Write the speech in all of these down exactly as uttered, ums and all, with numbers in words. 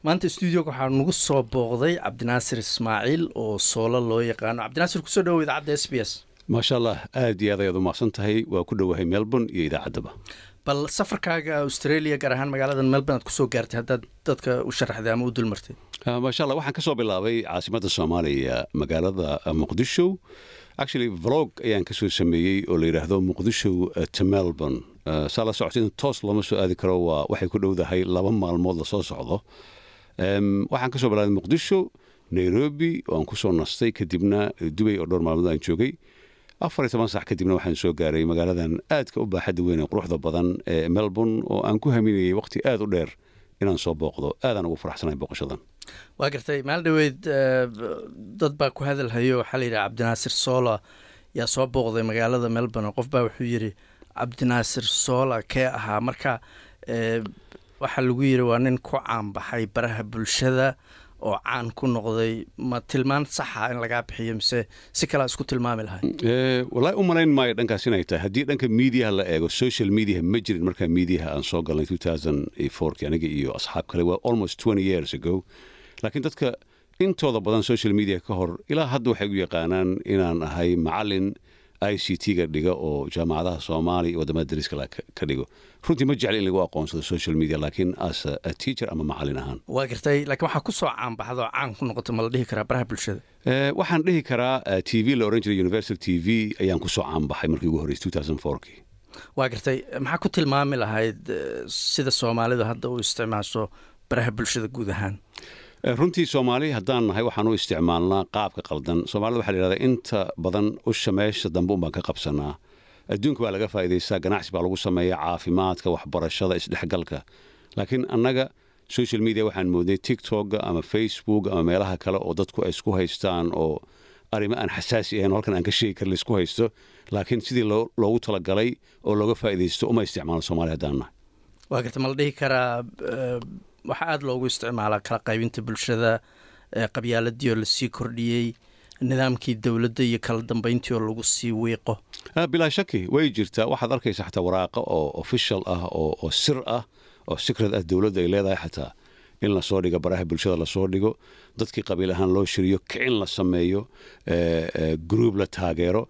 Maanta stuudioga waxaa nagu soo booqday Cabdinaasir Ismaaciil oo Soola loo yaqaano. Cabdinaasir, kusoo dhawow idaacadda S B S. Maasha Allah, aad iyo aad ayaad u mahadsan tahay. Waa ku dhowahay Melbourne iyo idaacaddaba. Bal safarkaaga Australia, gaar ahaan magaalada Melbourne aad kusoo gaartay, haddaad dadka u sharaxday ama u dulmartay. Maasha Allah, waxaan ka soo bilaabay caasimadda Soomaaliya, magaalada Muqdisho. Actually, vlog ayaan kasoo sameeyey oo la yidhaahdo Muqdisho to Melbourne. Saa la socotay, toos looma soo aadi karo, waa waxay ku dhowdahay laba maalmood lasoo socdo. Waxaan kasoo bilaabay Muqdisho, Nairobi oo aan kusoo nastay, kadibna Dubay oo dhowr maalmood aan joogay. Afar iyo toban sax kadibna waxaan soo gaaray magaaladan aadka u baaxadda weyn ee quruxda badan ee Melbourne, oo aan ku haminayay waqti aad u dheer inaan soo booqdo. Aadaan ugu faraxsanahay booqashadan. Waa gartay. Maalin dhaweyd dad baa ku hadalhayo, waxaa la yidhaha Cabdinaasir Sola yaa soo booqday magaalada Melbourne. Qof baa wuxuu yidhi, "Cabdinaasir Sola kee ahaa?" Marka waxaa lagu yidhi waa nin ku caanbaxay baraha bulshada oo caan ku noqday. Ma tilmaan saxa in lagaa bixiyo mise si kalea isku tilmaami lahay? Wallaahi, u malayn maayo dhankaas inay tahay. Haddii dhanka mediaha la eego, social media ma jirin markaa mediaha aan soo galnay two thousand fourki, aniga iyo asxaab kale. Waa almost twenty years ago. Laakiin dadka intooda badan social media ka hor ilaa hadda waxay u yaqaanaan inaan ahay macalin I C T-ga dhiga oo jaamacadaha Soomaaliya iyo waddamada dariska ka dhigo. Runtii ma jecli in lagu aqoonsado social media, laakiin as a teacher ama macalin ahaan. Waa gartay, laakiin waxaa ku soo caanbaxda oo caan ku noqota, ma la dhihi karaa baraha bulshada? Waxaan dhihi karaa T V la oran jiray Universal T V ayaan kusoo caanbaxay markii ugu horreysay two thousand fourkii. Waa gartay. Maxaa ku tilmaami lahayd sida Soomaalidu hadda u isticmaasho baraha bulshada guud ahaan? Runtii, Soomaali haddaan nahay, waxaan u isticmaalnaa qaabka qaldan. Soomaalida waxaa la yidhahdaa inta badan usha meesha dambe un baan ka qabsanaa. Adduunka waa laga faa'iidaystaa, ganacsi baa lagu sameeyaa, caafimaadka, waxbarashada, isdhexgalka, laakiin annaga social media waxaan moodnay TikTok ama Facebook ama meelaha kale oo dadku ay isku haystaan oo arrimo aan xasaasi ahayn oo halkan aan ka sheegi karin laisku haysto. Laakiin sidii loogu talagalay oo looga faa'iidaysto uma isticmaalo, Soomaali haddaan nahay. Waa garta. Ma la dhihi karaa waxaa aada loogu isticmaalaa kala qaybinta bulshada, qabyaaladii oo lasii kordhiyey, nidaamkii dowladda iyo kala dambeyntii oo lagu sii wiiqo? Bilaa shaki way jirtaa. Waxaad arkaysa xataa waraaqo oo official ah oo oo sir ah oo secret ah, dowladda ay leedahay xataa, in lasoo dhigo baraha bulshada, lasoo dhigo dadkii qabiil ahaan loo shiriyo, kicin la sameeyo, group la taageero,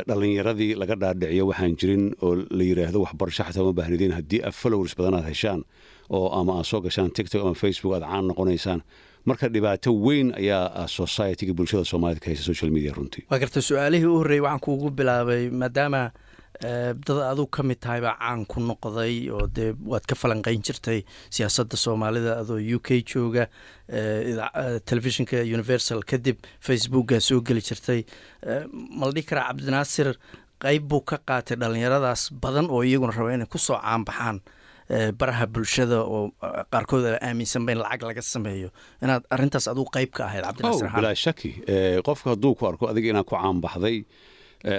dhallinyaradii laga dhaadhiciyo waxaan jirin oo la yidhaahdo waxbarasho xataa uma baahnidin, haddii aad followers badan aad heshaan oo ama aad soo gashaan TikTok ama Facebook, aad caan noqonaysaan. Marka dhibaato weyn ayaa society-ga, bulshada Soomaalida ka haysa social media runtii. Waa garta. Su-aalihii u horreeyey waxaan kuugu bilaabay maadaama dad aduu ka mid tahay baa caan ku noqday oo dee waad ka falanqeyn jirtay siyaasadda Soomaalida adoo U K jooga, telefishinka Universal, kadib Facebooka soo geli jirtay. Ma la dhihi karaa Cabdinaasir qeyb buu ka qaatay dhallinyaradaas badan oo iyaguna raba inay kusoo caanbaxaan baraha bulshada, oo qaarkood aaminsanba in lacag laga sameeyo, inaad arrintaas aduu qayb ka ahayd, Cabdinaasir? Bilaa shaki. Qofka hadduu ku arko adiga inaad ku caanbaxday,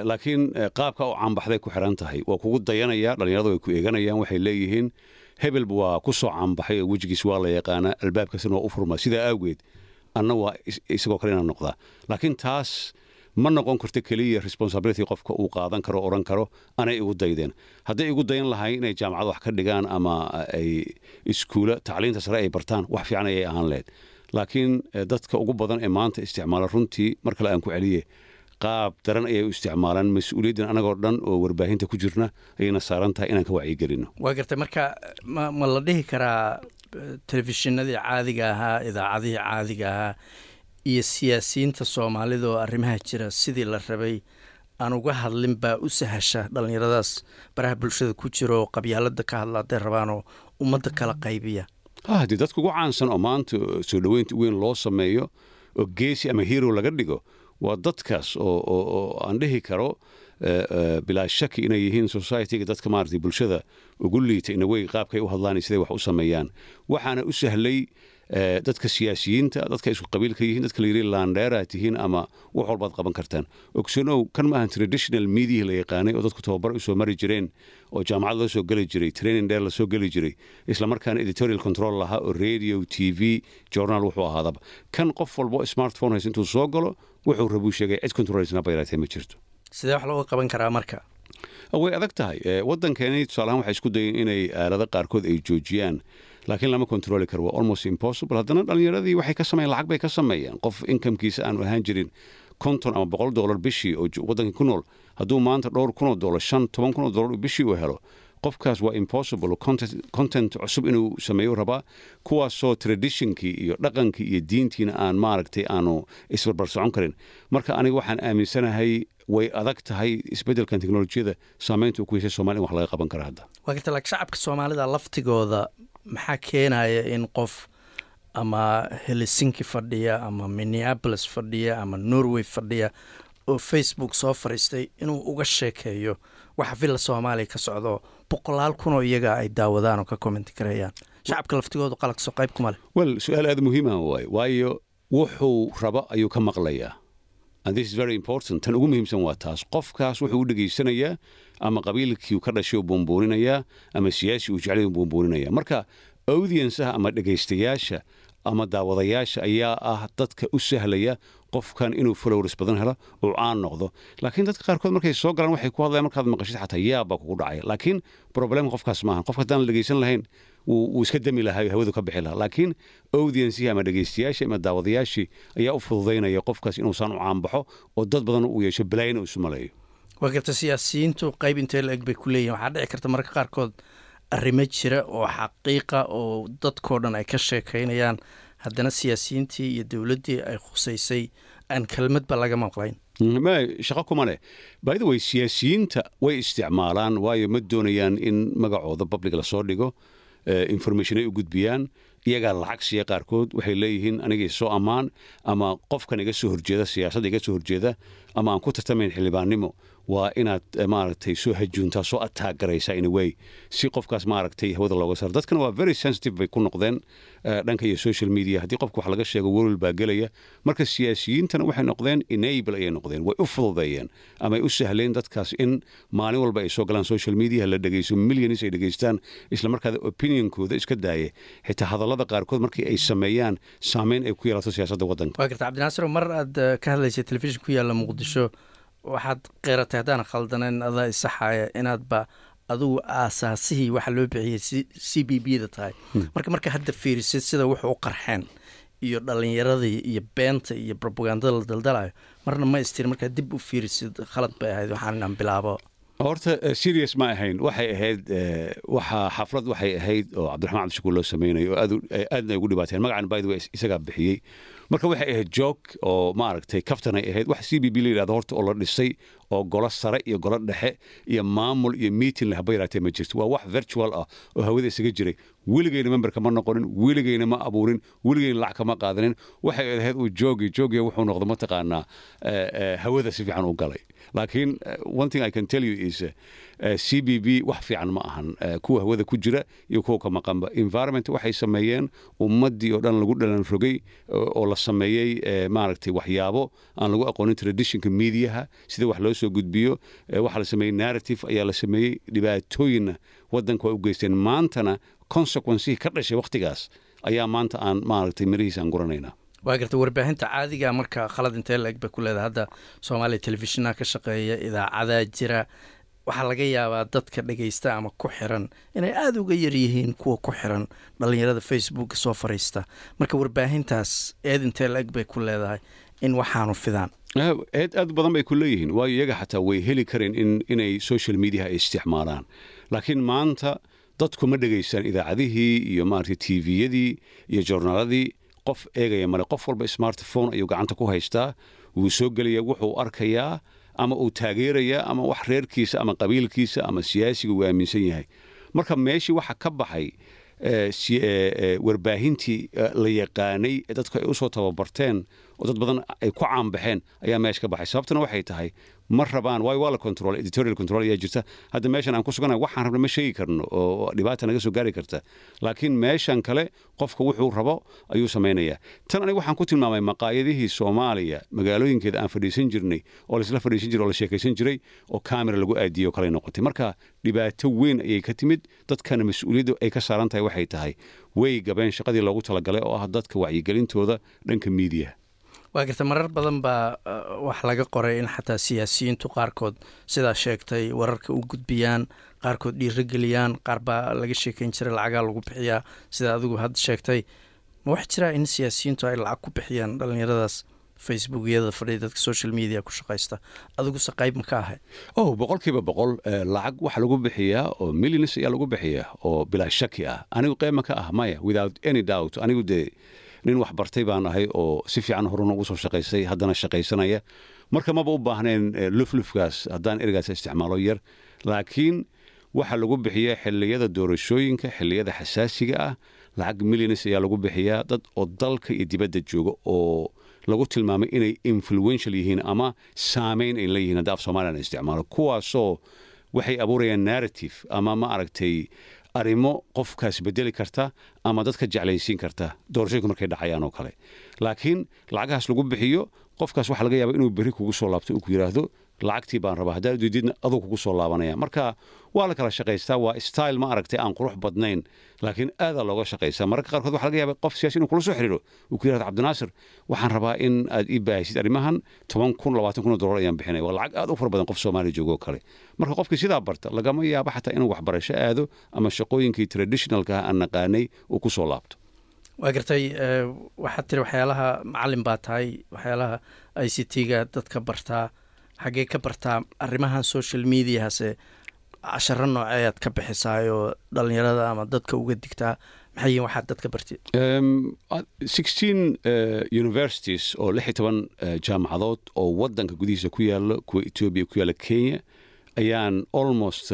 laakiin qaabka u caanbaxday ku xiran tahay, waa kugu dayanaya. Dhallinyaradu way ku eeganayaan, waxay leeyihiin hebelba waa ku soo caanbaxay oo wejigiis waa la yaqaanaa, albaabkaasina waa u furmaa, sidaa awgeed anna waa isagoo kale inaan noqdaa. Laakiin taas ma noqon karto keliya responsibility qofka uu qaadan karo, odhan karo anay igu daydeen. Hadday igu dayan lahayn inay jaamacad wax ka dhigaan ama ay iskuula tacliinta sare ay bartaan, wax fiican ayay ahaan lahayd. Laakiin dadka ugu badan ee maanta isticmaala, runtii mar kale aan ku celiye, qaab daran ayay u isticmaalaan. Mas-uuliyaddan anagoo dhan oo warbaahinta ku jirna ayayna saaran tahay inaan ka wacyigelino. Waa gartay. Marka ma ma la dhihi karaa telefishinadii caadiga ahaa, idaacadihii caadiga ahaa iyo siyaasiyiinta Soomaalida oo arrimaha jira sidii la rabay aan uga hadlin baa u sahasha dhallinyaradaas baraha bulshada ku jira oo qabyaalada ka hadla hadday rabaan oo ummadda kala qaybiya? Haddii dadka ugu caansan oo maanta soo dhoweynta weyn loo sameeyo oo geesi ama hero laga dhigo waa dadkaas oo oo aan dhihi karo bilaa shaki inay yihiin society-ga, dadka maaragtay bulshada ugu liita inawey qaabkay u hadlaan iyo siday wax u sameeyaan. Waxaana u sahlay dadka siyaasiyiinta, dadka isku qabiilka yihiin, dadka la yidhi laandheeraa tihiin ama wax walbaad qaban kartaan. Ogsanow, kan maahan traditional media la yaqaanay oo dadku tababar u soo mari jireen oo jaamacad loo soo geli jiray, training dheer lasoo geli jiray, isla markaana editorial control lahaa oo radio, T V, journal wuxuu ahaadaba. Kan qof walbo smartphone haysa intuu soo galo wuxuu rabuu sheegay, cid controlsna bayraatee ma jirto. Sidee wax looga qaban karaa marka? Way adag tahay. Waddankeeni tusaalahaan waxay isku dayeen inay aalado qaarkood ay joojiyaan, Laakiin lama controli karo, waa almost impossible. Haddana dhallinyaradii waxay ka sameeyaan, lacag bay ka sameeyaan. Qof incomekiisa aanu ahaan jirin konton ama boqol dollar bishii oo waddankii ku nool, hadduu maanta dhowr kun oo dollar, shan toban kun oo dollar bishii uu helo, qofkaas waa impossible content cusub inuu sameeyo rabaa, kuwaasoo traditionkii iyo dhaqankii iyo diintiina aan maaragtay aanu isbarbar socon karin. Marka aniga waxaan aaminsanahay way adag tahay isbeddelkan teknolojiyada saameynta uu ku yeeshay Somalia in wax laga qaban kara hadda. Waa garta, laakiin shacabka Soomaalida laftigooda maxaa keenaya in qof ama Helsinki fadhiya ama Minneapolis fadhiya ama Norway fadhiya oo Facebook soo fadhiistay inuu uga sheekeeyo waxa Villa Soomaaliya ka socdo, boqolaal kunoo iyaga ay daawadaan oo ka comment karayaan? Shacabka laftigoodu qalaqso qayb kuma leh? Well, su-aal aada muhiima waaye, waayo wuxuu rabo ayuu ka maqlayaa, and this is very important. Tan ugu muhiimsan waa taas. Qofkaas wuxuu u dhegaysanayaa ama qabiilkii ka dhashay uu buunbuuninayaa ama siyaasi uu jeclay uu buunbuuninaya. Marka audienceaha ama dhegaystayaasha ama daawadayaasha ayaa ah dadka u sahlaya qofkan inuu followers badan helo oo caan noqdo. Laakiin dadka qaarkood markay soo galaan waxay ku hadlayaan, markaad maqashid xataa yaab baa kugu dhacaya. Laakiin problemka qofkaas maahan. Qofka haddaan la dhegaysan lahayn wuu iska dami lahaa, hawadu ka bixi lahaa. Laakiin audiencihii ama dhegaystayaashii ama daawadayaashii ayaa u fududaynaya qofkaas inuusaan u caanbaxo oo dad badan uu yeesho, balaayana uu isu maleeyo. Waa garta. Siyaasiyiintu qayb intee la eg bay ku leeyihin? Waxaa dhici karta mararka qaarkood arrimo jira oo xaqiiqa oo dadkoo dhan ay ka sheekaynayaan, haddana siyaasiyiintii iyo dowladdii ay khusaysay aan kelmadba laga maqlayn. Shaqo kuma leh. By the way, siyaasiyiinta way isticmaalaan, waayo ma doonayaan in magacooda public lasoo dhigo. Information ay u gudbiyaan, iyagaa lacag siiya qaarkood. Waxay leeyihiin aniga soo ammaan ama qofkan iga soo horjeeda, siyaasadda iga soo horjeeda ama aan ku tartamayn xildhibaannimo, waa inaad maaragtay soo hajuuntaa, soo attack garaysaa in a way, si qofkaas maaragtay hawada looga saaro. Dadkana waa very sensitive bay ku noqdeen dhanka iyo social media. Haddii qofka wax laga sheego, welwel baa gelaya. Marka siyaasiyiintana waxay noqdeen enable ayay noqdeen, way u fududeeyeen ama ay u sahleen dadkaas in maalin walba ay soo galaan social media, la dhegeyso, millions ay dhegeystaan, isla markaada opinionkooda iska daaya, xitaa hadallada qaarkood markii ay sameeyaan saameyn ay ku yeelato siyaasadda waddanka. Waa garta. Cabdinaasir, mar aad ka hadlaysay telefishin ku yaalla Muqdisho, waxaad qeeratay, haddaan khaldaneyn adaa isaxaaya, inaadba adigu aasaasihii waxa loo bixiyey C B B da tahay. Marka marka hadda fiirisid sida wuxuu u qarxeen iyo dhalinyaradii iyo beenta iyo propagandada la daldalayo, marna ma istiri markaa dib u fiirisid khalad bay ahayd waxaan inaan bilaabo? Horta serious ma ahayn. Waxay ahayd waxa xaflad waxay ahayd oo Cabdiraxmaan Cabdishakuur loo sameynayo oo aad aadna ay ugu dhibaateen. Magacan, by the way, isagaa bixiyey. Marka waxay ahayd joke oo maaragtay kaftan ay ahayd. Wax C B B la yidhahdo horta oo la dhisay oo golo sare iyo golo dhexe iyo maamul iyo meeting leh haba yaraatee ma jirto. Waa wax virtual ah oo hawada isaga jiray. Weligeyna memberka ma noqonin, weligeyna ma abuurin, weligeyna lacag kama qaadanin. Waxay ahayd uu joogi joogiya, wuxuu noqdo mataqaanaa hawada si fiican u galay. Laakiin one thing I can tell you is C B B wax fiican ma ahan, kuwa hawada ku jira iyo kuwa ka maqanba. Environment waxay sameeyeen ummaddii oo dhan lagu dhalan rogay oo la sameeyey maaragtay waxyaabo aan lagu aqoonin traditionka mediaha sida wax loo soo gudbiyo. Waxaa la sameeyey narrative ayaa la sameeyey, dhibaatooyinna waddanka way u geysteen. Maantana consequencihii ka dhashay wakhtigaas ayaa maanta aan maaragtay mirihiisa aan guranaynaa. Waa garta. Warbaahinta caadiga marka khalad intee la eg bay ku leedahay? Hadda Soomaaliya telefishinaa ka shaqeeya, idaacadaa jira. Waxaa laga yaabaa dadka dhegaysta ama ku xiran inay aada uga yar yihiin kuwa ku xiran dhalinyarada Facebooka soo fariista. Marka warbaahintaas eed intee la eg bay ku leedahay in waxaanu fidaan? Eed aad badan bay ku leeyihiin, waayo iyaga xataa way heli kareen in inay social media ay isticmaalaan. Laakiin maanta dadku ma dhegaystaan idaacadihii iyo maaragtay T V-yadii iyo joornaaladii. Qof eegaya male. Qof walba smartphone ayuu gacanta ku haystaa, wuu soo gelaya, wuxuu arkayaa ama uu taageerayaa ama wax reerkiisa ama qabiilkiisa ama siyaasiga uu aaminsan yahay. Marka meeshii waxa ka baxay warbaahintii la yaqaanay ee dadku ay usoo tababarteen oo dad badan ay ku caanbaxeen ayaa meesha ka baxay. Sababtuna waxay tahay ma rabaan, waayo waa la control, editorial control ayaa jirta. Hadda meeshan aan ku suganahay waxaan rabna ma sheegi karno oo dhibaata naga soo gaari karta, laakiin meeshan kale qofka wuxuu rabo ayuu samaynayaa. Tan aniga waxaan ku tilmaamay maqaayadihii Soomaaliya magaalooyinkeeda aan fadhiisan jirnay oo laisla fadhiisan jiray oo la sheekaysan jiray oo camera lagu aadiyo kale noqotay. Marka dhibaato weyn ayay ka timid. Dadkana mas-uuliyadda ay ka saaran tahay waxay tahay way gabeen shaqadii loogu talagalay oo ah dadka wacyigelintooda dhanka miidiyaha. Waa garta. Marar badan baa wax laga qoray in xataa siyaasiyiintu qaarkood sidaa sheegtay wararka u gudbiyaan. Qaarkood dhiirigeliyaan, qaar baa laga sheekeyn jiray lacagaa lagu bixiyaa. Sida adigu hadda sheegtay, ma wax jiraa in siyaasiyiintu ay lacag ku bixiyaan dhalinyaradaas Facebookyada fadhiya, dadka social media ku shaqaysta? Adiguse qayb ma ka ahay? Oh, boqolkiiba boqol. Lacag waxa lagu bixiyaa oo millions ayaa lagu bixiyaa oo bilaa shaki ah. Anigu qayb ma ka ah? Maya, without any doubt. Anigu dee nin wax bartay baan ahay oo si fiican horena ugu soo shaqaystay, haddana shaqaysanaya. Marka maba u baahnayn luflufkaas haddaan ereygaas isticmaalo yar. Laakiin waxaa lagu bixiyaa xilliyada doorashooyinka, xilliyada xasaasiga ah, lacag millions ayaa lagu bixiyaa dad oo dalka iyo dibadda jooga oo lagu tilmaamay inay influential yihiin ama saameyn ay leeyihiin, hadda af Somalilan isticmaalo. Kuwaasoo waxay abuurayaan narrative ama, ma aragtay, arrimo qofkaas bedeli karta ama dadka jeclaysiin karta doorashooyinku markay dhacayaan oo kale. Laakiin lacagahaas lagu bixiyo qofkaas waxaa laga yaaba inuu berri kugu soo laabto, uu ku yidhaahdo, "Lacagtii baan rabaa." Haddaad diididna, aduu kugu soo laabanaya. Marka waa la kala shaqaystaa. Waa style, ma aragtay, aan qurux badnayn, laakiin aadaa looga shaqaystaa. Mararka qaarkood waxaa laga yaaba qof siyaasi inuu kula soo xiriiro, uu ku yidhahdo, "Cabdinaasir, waxaan rabaa in aad ii baahisid arrimahan, toban kun, labaatan kun oo dollar ayaan bixinaya." Waa lacag aad u fara badan qof Soomaaliya joogo oo kale. Marka qofkii sidaa barta lagama yaabo xataa inuu waxbarasho aado ama shaqooyinkii traditionalka ah aan naqaanay uu ku soo laabto. Waa gartay. Waxaad tiri waxyaalaha macalin baa tahay, waxyaalaha I C T-ga dadka bartaa. Xaggee ka bartaa arrimahan social mediahase? Casharo nooceeyaad ka bixisaayoo dhalinyarada ama dadka uga digtaa? Maxay yihiin waxaad dadka bartid? Sixteen universities oo lix iyo toban jaamacadood oo waddanka gudihiisa ku yaalo, kuwa Etoobiya ku yaalla, Kenya, ayaan almost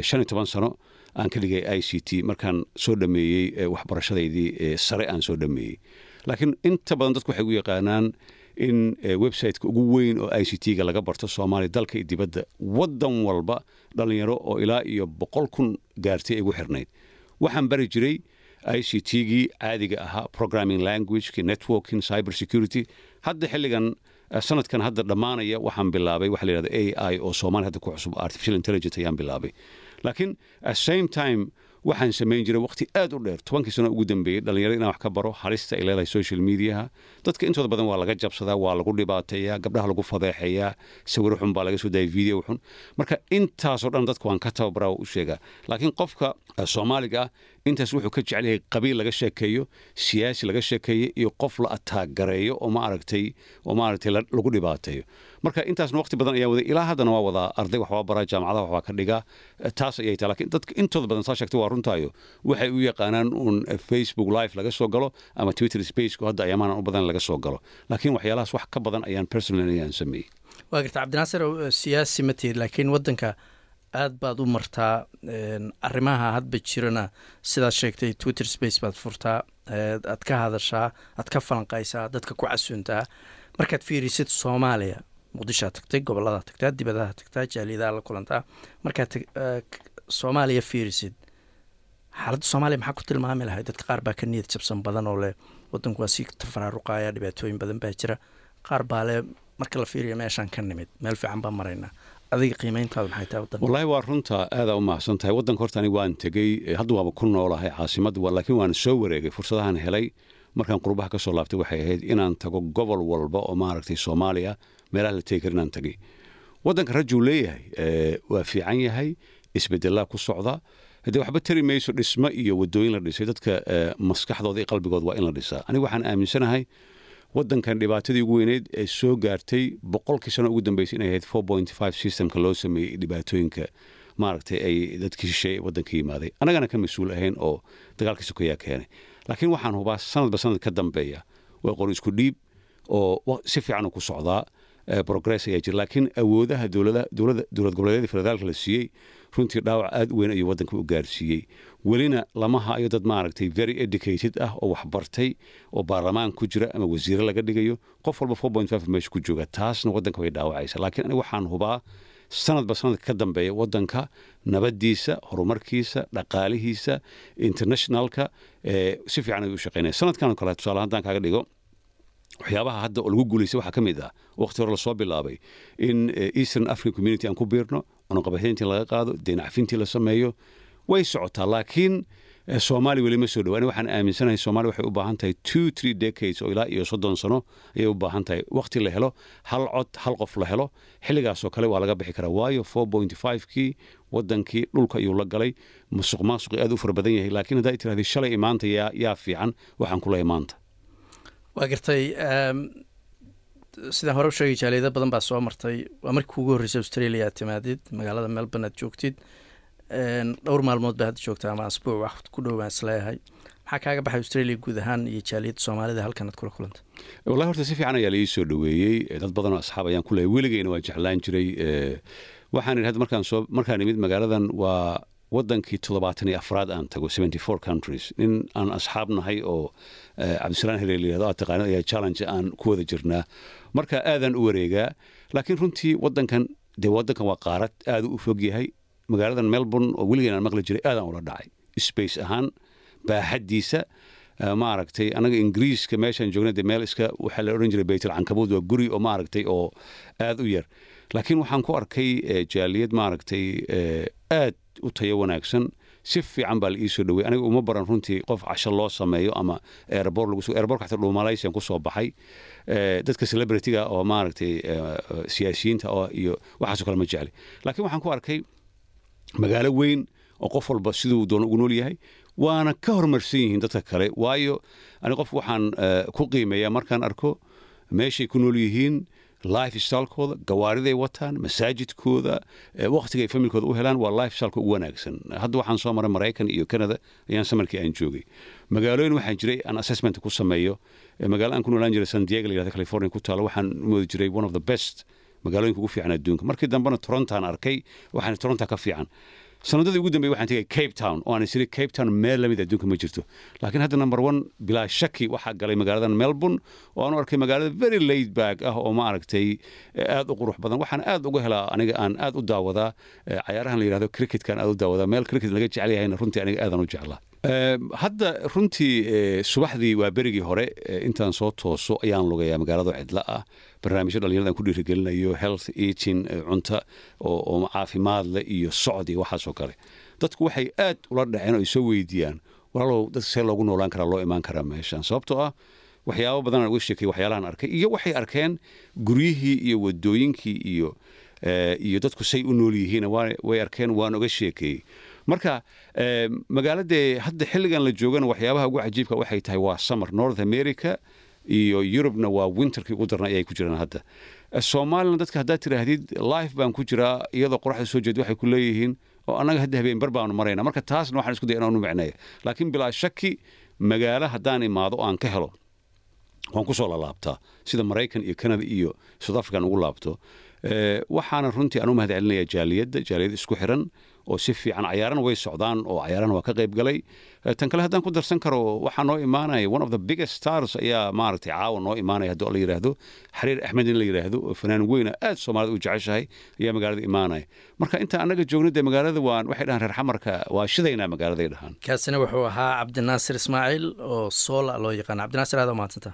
shan iyo toban sano aan ka dhigay I C T markaan soo dhameeyey waxbarashadaydii sare aan soo dhameeyey. Laakiin inta badan dadku waxay u yaqaanaan in websiteka ugu weyn oo I C T-ga laga barto Soomaaliya, dalka iyo dibadda, waddan walba dhalinyaro oo ilaa iyo boqol kun gaartay ay ugu xirnayd. Waxaan bari jiray I C T-gii caadiga ahaa, programming languageki, networking, cyber security. Hadda xilligan, sanadkan hadda dhammaanaya, waxaan bilaabay waxa la yidhahdo A I oo Soomaaliya hadda ku cusub, artificial intelligence ayaan bilaabay. Laakiin at same time waxaan samayn jiray waqti aad u dheer, tobankii sano ugu dambeeyey, dhalinyarada inaan wax ka baro halista ay leedahay social mediaha. Dadka intooda badan waa laga jabsadaa, waa lagu dhibaateeyaa, gabdhaha lagu fadeexeeyaa, sawiro xun baa laga soo daayay, video xun. Marka intaasoo dhan dadka waan ka tababaraa, u sheegaa. Laakiin qofka Soomaaliga ah intaas wuxuu ka jecel yahay qabiil laga sheekeeyo, siyaasi laga sheekeeyo iyo qof la ataagareeyo oo, ma aragtay, oo ma aragtay lagu dhibaateeyo. Marka intaasna waqti badan ayaa waday, ilaa haddana waa wadaa. Arday wax waa baraa, jaamacadaha wax waa ka dhigaa. Taas ayay tahay. Laakiin dadka intooda badan, saa sheegtay, waa runtaayo, waxay u yaqaanaan uun Facebook Live laga soo galo ama Twitter Spaceku hadda ayaamahan u badan laga soo galo. Laakiin waxyaalahaas wax ka badan ayaan personally ayaan sameeyey. Waa garta. Cabdinaasir, siyaasi ma tihid, laakiin waddanka aad baad u martaa. Arrimaha hadba jirana, sidaad sheegtay, Twitter Space baad furtaa, aad ka hadashaa, aad ka falanqaysaa, dadka ku casuuntaa. Markaad fiirisid Soomaaliya, Muqdishoad tagtay, gobolladaad tagtaa, dibadaha tagtaa, jaaliyadaha la kulantaa, markaad Soomaaliya fiirisid, xaaladda Soomaaliya maxaa ku tilmaami lahay? Dadka qaar baa ka niyad jabsan badan oo leh waddanku waa sii tafaraaruqaya, dhibaatooyin badan baa jira. Qaar baa leh marka la fiiriyo meeshaan ka nimid, meel fiican baan maraynaa. Adiga qiimeyntaadu maxay tahay waddanka? Wallaahi waa runta, aadaa u mahadsan tahay. Waddanka horta aniga waan tegey, hadda waaba ku noolahay caasimadda, laakiin waan soo wareegay. Fursadahan helay markaan qurbaha ka soo laabtay waxay ahayd inaan tago gobol walba oo, maaragtay, Soomaaliya meelaha la tegi kara inaan tagay. Waddanka rajuu leeyahay, waa fiican yahay, isbedelaa ku socda. Haddee waxba tari mayso dhismo iyo waddooyin la dhisay, dadka maskaxdooda iyo qalbigooda waa in la dhisaa. Aniga waxaan aaminsanahay waddankan dhibaatadii ugu weyneyd ee soo gaartay boqolkii sano ugu dambeysay inay ahayd four point five systemka loo sameeyey, dhibaatooyinka, maaragtay, ay dadkii shisheeye waddanka yimaaday, annagana ka mas-uul ahayn oo dagaalkii sokeyaa keenay. Laakiin waxaan hubaa sanadba sanad ka dambeeya waa qori isku dhiib oo si fiican uu ku socdaa, progress ayaa jira. Laakiin awoodaha dowlada dowlada dowlad goboleedyada federaalka la siiyey runtii dhaawac aad u weyn ayuu waddanka u gaarsiiyey. Welina lama hayo dad, maaragtay, very educated ah oo waxbartay oo baarlamaan ku jira ama wasiire laga dhigayo. Qof walba four point five meesha ku jooga, taasna waddanka way dhaawacaysa. Laakiin aniga waxaan hubaa sanadba sanadka ka dambeeya waddanka nabadiisa, horumarkiisa, dhaqaalihiisa, internationalka si fiican ayuu u shaqeynaya. Sanadkan oo kale tusaale haddaan kaaga dhigo, waxyaabaha hadda oo lagu guulaystay waxaa ka mid ah waqti hore lasoo bilaabay in Eastern African Community aan ku biirno, cunaqabateyntii laga qaado, deyn cafintii la sameeyo. Way socotaa, laakiin Soomaali weli ma soo dhawaan. Waxaan aaminsanahay Soomaali waxay u baahan tahay two three decades oo ilaa iyo soddon sano ayay u baahan tahay, waqti la helo hal cod hal qof la helo. Xilligaasoo kale waa laga bixi karaa, waayo four point five kii wadankii dhulka ayuu la galay, musuq maasuqi aad u fara badan yahay. Laakiin haddaa tirahdii shalay imaanta yaa yaa fiican, waxaan kula imaanta. Waa gartay. Sidaan hore u sheegay, jaaliyado badan baa soo martay. Waa markii kuugu horreysay Australia aad timaadid, magaalada Melbourne aad joogtid. Dhowr maalmood baa hadda joogta ama asbuuc wax ku dhow baan isleeyahay. Maxaa kaaga baxay Australia guud ahaan iyo jaaliyadda Soomaalida halkan aad kula kulantay? Wallahi horta si fiican ayaa la ii soo dhoweeyey. Dad badan oo asxaab ayaan ku leeyahay, weligeyna waan jeclaan jiray. Waxaan idhi hadda markaan soo markaan imid magaaladan, waa wadankii toddobaatan iyo afraad aan tago, seventy four countries. Nin aan asxaab nahay oo Cabdisalaan Hele layihahdo aad taqaanid ayaa challenge aan ku wada jirnaa, marka aadaan u wareegaa. Laakiin runtii wadankan dee wadankan waa qaarad aad u fog yahay. Magaaladan Melbourne oo weligeen aan maqli jiray aadaan ula dhacay space ahaan, baaxaddiisa. Maaragtay, anaga Ingiriiska meeshaan joogna dee meel iska waxaa la odhan jiray Baytul Cankabuud, waa guri oo maaragtay oo aad u yar. Laakiin waxaan ku arkay jaaliyad maaragtay aad u tayo wanaagsan. Si fiican baa la ii soo dhowey. Aniga uma baran runtii qof casho loo sameeyo ama airport lagu airportka xataa dhuumalaysian ku soo baxay. Dadka celebrityga oo maaragtay siyaasiyiinta oo iyo waxaasoo kale ma jecli. Laakiin waxaan ku arkay magaalo weyn oo qof walba siduu doono ugu nool yahay, waana ka horumarsan yihiin dadka kale, waayo ani qof waxaan ku qiimeeyaa markaan arko meeshay ku nool yihiin, lifestylekooda, gawaariday wataan, masaajidkooda, wakhtigay familkooda u helaan, waa lifestyleka ugu wanaagsan. Hadda waxaan soo maray Maraykan iyo Canada ayaan summerkii aan joogay. Magaalooyin waxaan jiray aan assessment ku sameeyo. Magaalo aan ku noolaan jiray, San Diego la yihahdo, California ku taalo, waxaan u moodi jiray one of the best magaalooyinka ugu fiican adduunka. Markii dambena Torontoan arkay, waxaan Toronto ka fiican. Sanadadii ugu dambeeyay waxaan tegay Cape Town oo aan isiri Cape Town meel lamid adduunka ma jirto. Laakiin hadda number one bilaa shaki waxaa galay magaaladan Melbourne oo aan u arkay magaalada very laid back ah oo maaragtay aad u qurux badan. Waxaan aad uga helaa aniga aan aad u daawadaa cayaarahan la yidhahdo cricketkan, aad u daawadaa. Meel cricket laga jecel yahayna runtii aniga aadaan u jeclaa. Hadda runtii subaxdii waa berigii hore intaan soo tooso ayaan lugayaa magaalada cidla ah. Barnaamijyo dhalinyarada aan ku dhiirigelinayo, health eating, cunta oo caafimaad leh iyo socod iyo waxaasoo kale. Dadku waxay aad ula dhaceen oo ay soo weydiiyaan, "Walaalow, dadka see loogu noolaan karaa, loo imaan karaa meeshan?" Sababtoo ah waxyaabo badan aan uga sheekay, waxyaalahan arkay iyo waxay arkeen, guryihii iyo wadooyinkii iyo iyo dadku say u nool yihiin way arkeen, waan uga sheekeeyey. Marka magaaladee hadda xilligan la joogana waxyaabaha ugu cajiibka waxay tahay waa summer. North America iyo Yurubna waa winterkii ugu darna ayay ku jiraan hadda. Soomaalina dadka haddaad tidhaahdid life baan ku jiraa iyadoo qoraxda soo jeed, waxay ku leeyihiin, "Oo annaga hadda habeenbar baanu marayna." Marka taasna waxaan isku day inaan u micneeya. Laakiin bilaa shaki magaalo haddaan imaado oo aan ka helo, waan ku soo lalaabtaa, sida Maraykan iyo Canada iyo South African ugu laabto. Waxaana runtii aan u mahad celinaya jaaliyadda, jaaliyad isku xiran oo si fiican. Cayaarana way socdaan oo cayaarana waa ka qayb galay. Tan kale haddaan ku darsan karo, waxaa noo imaanaya one of the biggest stars ayaa maaragtay caawa noo imaanaya, haddii la yidhaahdo Xariir Axmed in la yidhaahdo, oo fanaan weyna aad Soomaalida u jeceshahay ayaa magaalada imaanaya. Marka inta annaga joogno dee magaalada waan waxay dhahaan reer Xamarka waa shidaynaa magaaladay dhahaan. Kaasina wuxuu ahaa Cabdinaasir Ismaaciil oo Soola loo yaqaano. Cabdinaasir, aad u mahadsanta.